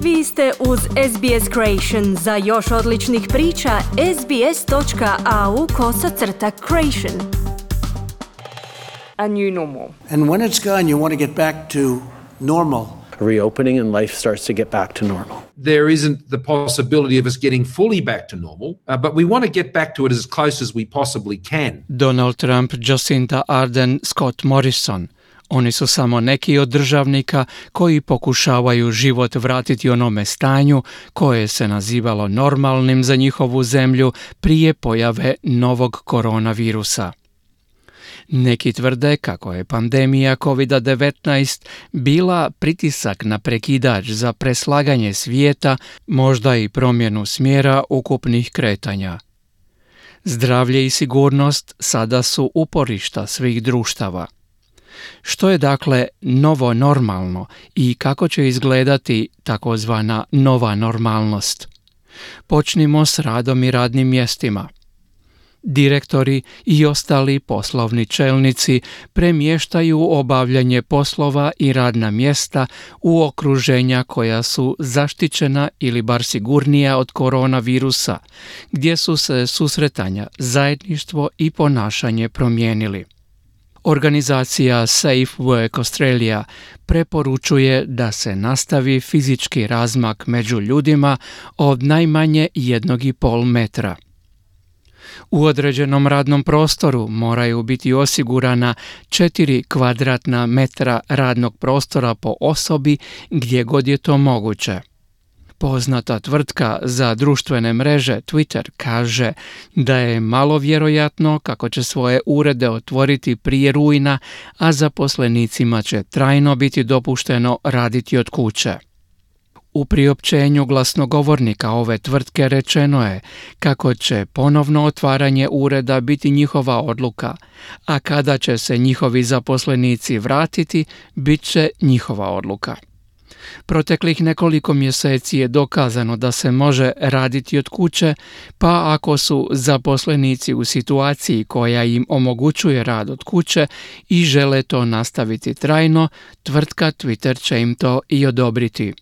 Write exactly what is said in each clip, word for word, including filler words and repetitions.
Vi ste uz S B S Creation. Za još odličnih priča, sbs.au kosacrta creation. A new normal. And when it's gone, you want to get back to normal. Reopening and life starts to get back to normal. There isn't the possibility of us getting fully back to normal, uh, but we want to get back to it as close as we possibly can. Donald Trump, Jacinda Ardern, Scott Morrison. Oni su samo neki od državnika koji pokušavaju život vratiti onome stanju koje se nazivalo normalnim za njihovu zemlju prije pojave novog koronavirusa. Neki tvrde kako je pandemija kovid devetnaest bila pritisak na prekidač za preslaganje svijeta, možda i promjenu smjera ukupnih kretanja. Zdravlje i sigurnost sada su uporišta svih društava. Što je dakle novo normalno i kako će izgledati takozvana nova normalnost? Počnimo s radom i radnim mjestima. Direktori i ostali poslovni čelnici premještaju obavljanje poslova i radna mjesta u okruženja koja su zaštićena ili bar sigurnija od koronavirusa, gdje su se susretanja, zajedništvo i ponašanje promijenili. Organizacija Safe Work Australia preporučuje da se nastavi fizički razmak među ljudima od najmanje jednog i pol metra. U određenom radnom prostoru moraju biti osigurana četiri kvadratna metra radnog prostora po osobi gdje god je to moguće. Poznata tvrtka za društvene mreže Twitter kaže da je malo vjerojatno kako će svoje urede otvoriti prije rujna, a zaposlenicima će trajno biti dopušteno raditi od kuće. U priopćenju glasnogovornika ove tvrtke rečeno je kako će ponovno otvaranje ureda biti njihova odluka, a kada će se njihovi zaposlenici vratiti, bit će njihova odluka. Proteklih nekoliko mjeseci je dokazano da se može raditi od kuće, pa ako su zaposlenici u situaciji koja im omogućuje rad od kuće i žele to nastaviti trajno, tvrtka Twitter će im to i odobriti.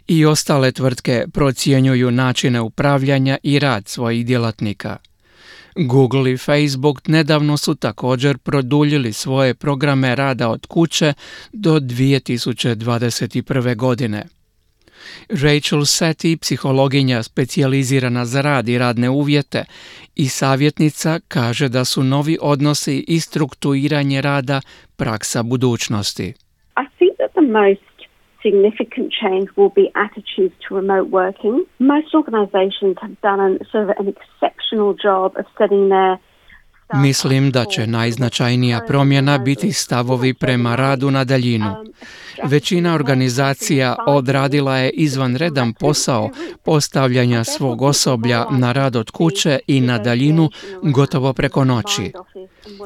I ostale tvrtke procjenjuju načine upravljanja i rad svojih djelatnika. Google i Facebook nedavno su također produljili svoje programe rada od kuće do dvije tisuće dvadeset prve. godine. Rachel Sethi, psihologinja specijalizirana za rad i radne uvjete i savjetnica, kaže da su novi odnosi i strukturiranje rada praksa budućnosti. I think that the most significant change will be attitudes to remote working. Most organizations have done an, sort of an exceptional job of setting their Mislim da će najznačajnija promjena biti stavovi prema radu na daljinu. Većina organizacija odradila je izvanredan posao postavljanja svog osoblja na rad od kuće i na daljinu gotovo preko noći.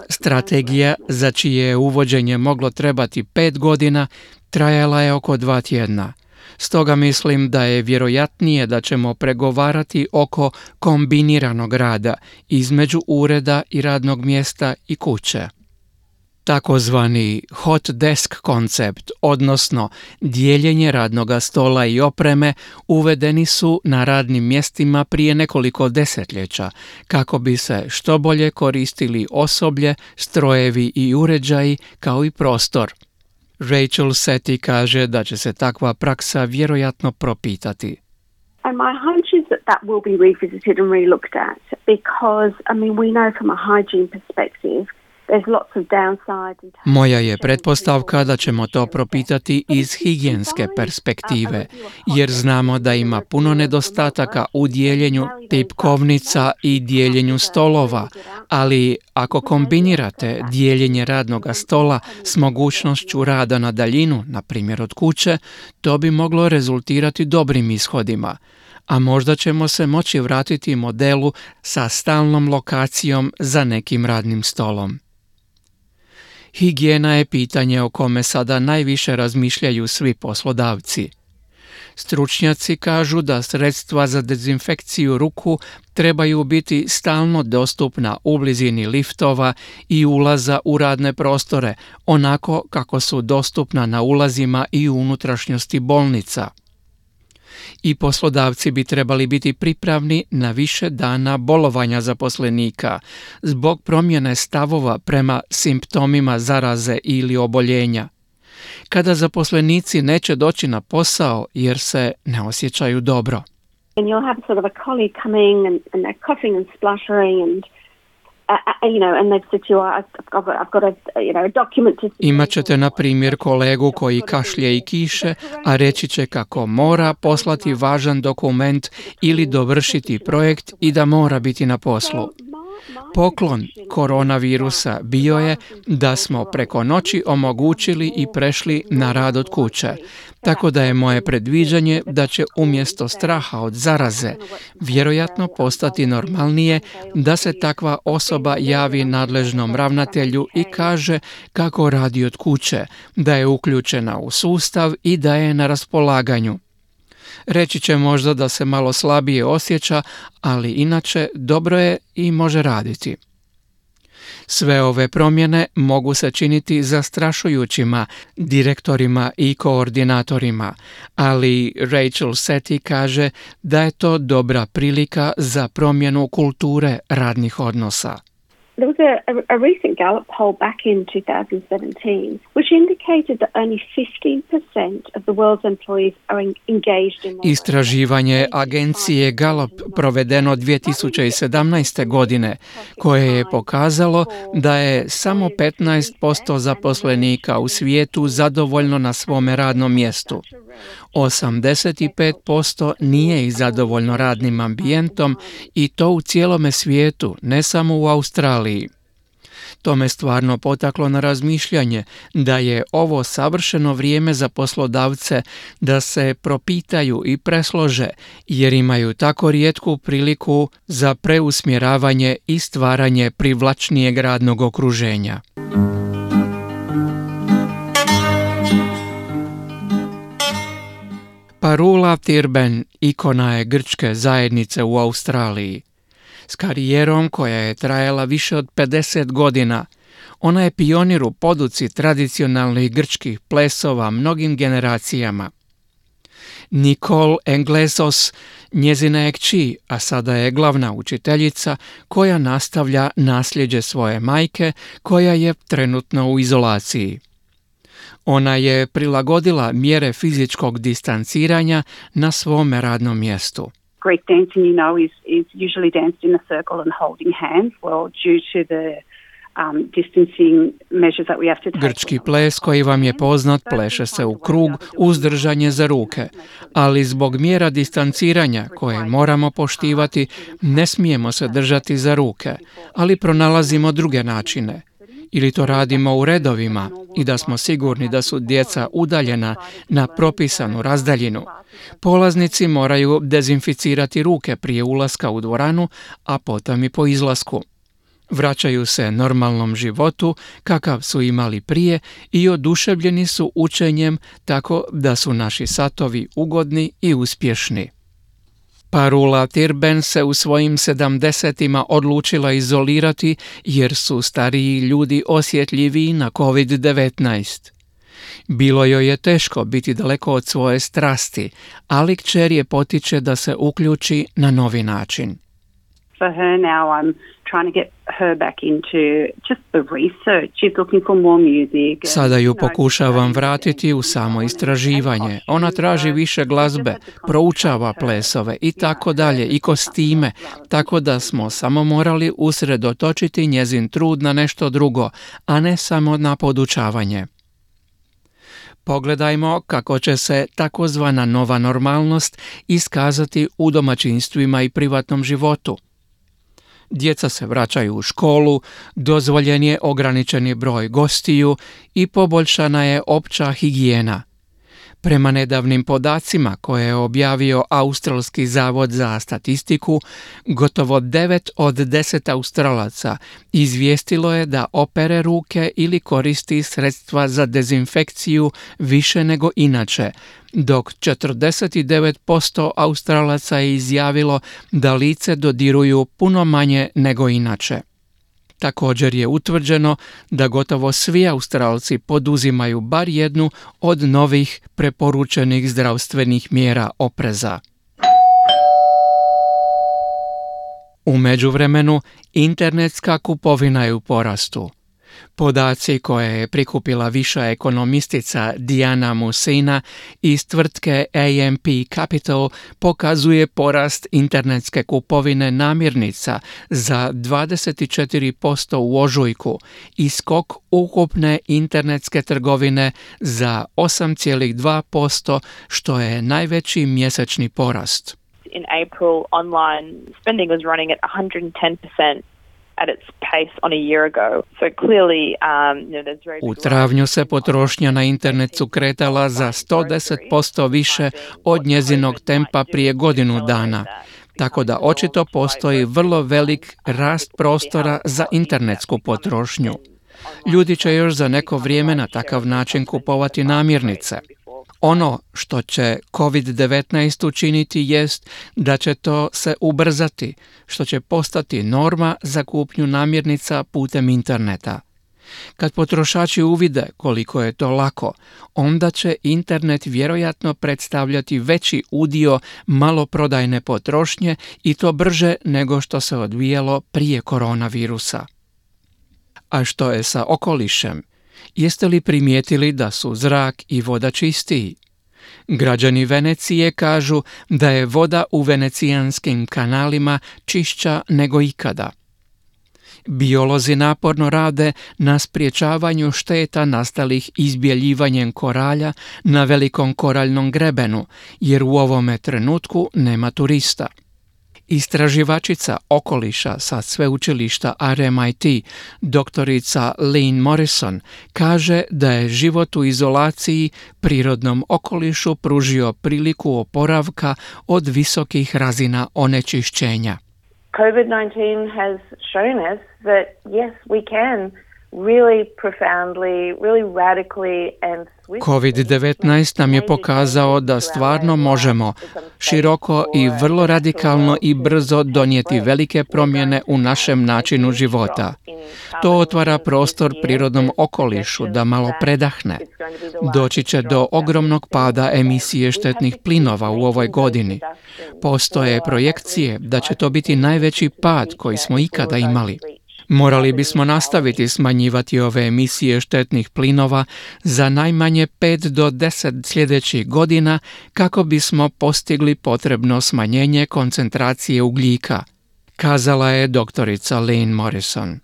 Strategija za čije je uvođenje moglo trebati pet godina trajala je oko dva tjedna. Stoga mislim da je vjerojatnije da ćemo pregovarati oko kombiniranog rada između ureda i radnog mjesta i kuće. Takozvani hot desk koncept, odnosno dijeljenje radnoga stola i opreme, uvedeni su na radnim mjestima prije nekoliko desetljeća kako bi se što bolje koristili osoblje, strojevi i uređaji kao i prostor. Rachel Sethi kaže da će se takva praksa vjerojatno propitati. And my hunch is that that will be revisited and relooked at because, I mean, we know from a hygiene perspective Moja je pretpostavka da ćemo to propitati iz higijenske perspektive, jer znamo da ima puno nedostataka u dijeljenju tipkovnica i dijeljenju stolova, ali ako kombinirate dijeljenje radnog stola s mogućnošću rada na daljinu, na primjer od kuće, to bi moglo rezultirati dobrim ishodima. A možda ćemo se moći vratiti modelu sa stalnom lokacijom za nekim radnim stolom. Higijena je pitanje o kome sada najviše razmišljaju svi poslodavci. Stručnjaci kažu da sredstva za dezinfekciju ruku trebaju biti stalno dostupna u blizini liftova i ulaza u radne prostore, onako kako su dostupna na ulazima i u unutrašnjosti bolnica. I poslodavci bi trebali biti pripravni na više dana bolovanja zaposlenika zbog promjene stavova prema simptomima zaraze ili oboljenja. Kada zaposlenici neće doći na posao jer se ne osjećaju dobro. And you'll have sort of a colleague coming and, and they're coughing and spluttering and Uh, you know, and they've said to you, I've got, I've got a, you know, a document to... Imaćete, na primjer, kolegu koji kašlje i kiše, a reći će kako mora poslati važan dokument ili dovršiti projekt i da mora biti na poslu. Poklon koronavirusa bio je da smo preko noći omogućili i prešli na rad od kuće, tako da je moje predviđanje da će umjesto straha od zaraze vjerojatno postati normalnije da se takva osoba javi nadležnom ravnatelju i kaže kako radi od kuće, da je uključena u sustav i da je na raspolaganju. Reći će možda da se malo slabije osjeća, ali inače dobro je i može raditi. Sve ove promjene mogu se činiti zastrašujućima direktorima i koordinatorima, ali Rachel Sethi kaže da je to dobra prilika za promjenu kulture radnih odnosa. There was a, a, a recent Gallup poll back in two thousand seventeen which indicated that only fifteen percent of the world's employees are en- engaged in... Istraživanje agencije Gallup provedeno dvije tisuće sedamnaeste. godine koje je pokazalo da je samo petnaest posto zaposlenika u svijetu zadovoljno na svome radnom mjestu. osamdeset pet posto nije i zadovoljno radnim ambijentom i to u cijelome svijetu, ne samo u Australiji. To me stvarno potaklo na razmišljanje da je ovo savršeno vrijeme za poslodavce da se propitaju i preslože, jer imaju tako rijetku priliku za preusmjeravanje i stvaranje privlačnijeg radnog okruženja. Parula Tirben ikona je grčke zajednice u Australiji. S karijerom koja je trajala više od pedeset godina, ona je pionir u poduci tradicionalnih grčkih plesova mnogim generacijama. Nicole Englesos njezina je kći, a sada je glavna učiteljica koja nastavlja nasljeđe svoje majke koja je trenutno u izolaciji. Ona je prilagodila mjere fizičkog distanciranja na svome radnom mjestu. Greek dancing, you know, is, is usually danced in a circle and holding hands. Well, due to the um, distancing measures that we have to take. Grčki ples koji vam je poznat pleše se u krug uz držanje za ruke, ali zbog mjera distanciranja koje moramo poštivati ne smijemo se držati za ruke, ali pronalazimo druge načine. Ili to radimo u redovima i da smo sigurni da su djeca udaljena na propisanu razdaljinu. Polaznici moraju dezinficirati ruke prije ulaska u dvoranu, a potom i po izlasku. Vraćaju se normalnom životu kakav su imali prije i oduševljeni su učenjem tako da su naši satovi ugodni i uspješni. Parula Tirben se u svojim sedamdesetima odlučila izolirati jer su stariji ljudi osjetljiviji na kovid devetnaest. Bilo joj je teško biti daleko od svoje strasti, ali kćer je potiče da se uključi na novi način. For her now, I'm trying to get her back into just the research. She's looking for more music. Sada ju pokušavam vratiti u samo istraživanje. Ona traži više glazbe, proučava plesove i tako dalje i kostime, tako da smo samo morali usredotočiti njezin trud na nešto drugo, a ne samo na podučavanje. Pogledajmo kako će se takozvana nova normalnost iskazati u domaćinstvima i privatnom životu. Djeca se vraćaju u školu, dozvoljen je ograničeni broj gostiju i poboljšana je opća higijena. Prema nedavnim podacima koje je objavio Australski zavod za statistiku, gotovo devet od deset Australaca izvijestilo je da opere ruke ili koristi sredstva za dezinfekciju više nego inače, dok četrdeset devet posto Australaca je izjavilo da lice dodiruju puno manje nego inače. Također je utvrđeno da gotovo svi Australci poduzimaju bar jednu od novih preporučenih zdravstvenih mjera opreza. U međuvremenu, internetska kupovina je u porastu. Podaci koje je prikupila viša ekonomistica Diana Musina iz tvrtke A M P Capital pokazuje porast internetske kupovine namirnica za dvadeset četiri posto u ožujku i skok ukupne internetske trgovine za osam zarez dva posto, što je najveći mjesečni porast. In April, online spending was running at one hundred ten percent at its pace on a year ago. So clearly, um, you know, there's very U travnju se potrošnja na internetu kretala za sto deset posto više od njezinog tempa prije godinu dana. Tako da očito postoji vrlo velik rast prostora za internetsku potrošnju. Ljudi će još za neko vrijeme na takav način kupovati namirnice. Ono što će covid devetnaest učiniti jest da će to se ubrzati, što će postati norma za kupnju namirnica putem interneta. Kad potrošači uvide koliko je to lako, onda će internet vjerojatno predstavljati veći udio maloprodajne potrošnje i to brže nego što se odvijalo prije koronavirusa. A što je sa okolišem? Jeste li primijetili da su zrak i voda čistiji? Građani Venecije kažu da je voda u venecijanskim kanalima čišća nego ikada. Biolozi naporno rade na sprječavanju šteta nastalih izbjeljivanjem koralja na velikom koraljnom grebenu, jer u ovome trenutku nema turista. Istraživačica okoliša sa sveučilišta R M I T, doktorica Lynn Morrison, kaže da je život u izolaciji prirodnom okolišu pružio priliku oporavka od visokih razina onečišćenja. covid nineteen has shown us that yes, we can really profoundly, really radically and swiftly. covid devetnaest nam je pokazao da stvarno možemo široko i vrlo radikalno i brzo donijeti velike promjene u našem načinu života. To otvara prostor prirodnom okolišu da malo predahne. Doći će do ogromnog pada emisije štetnih plinova u ovoj godini. Postoje projekcije da će to biti najveći pad koji smo ikada imali. Morali bismo nastaviti smanjivati ove emisije štetnih plinova za najmanje pet do deset sljedećih godina kako bismo postigli potrebno smanjenje koncentracije ugljika, kazala je doktorica Lynn Morrison.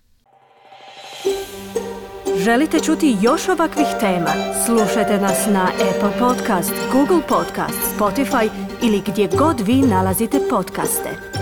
Želite čuti još ovakvih tema? Slušajte nas na Apple Podcast, Google Podcast, Spotify ili gdje god vi nalazite podcaste.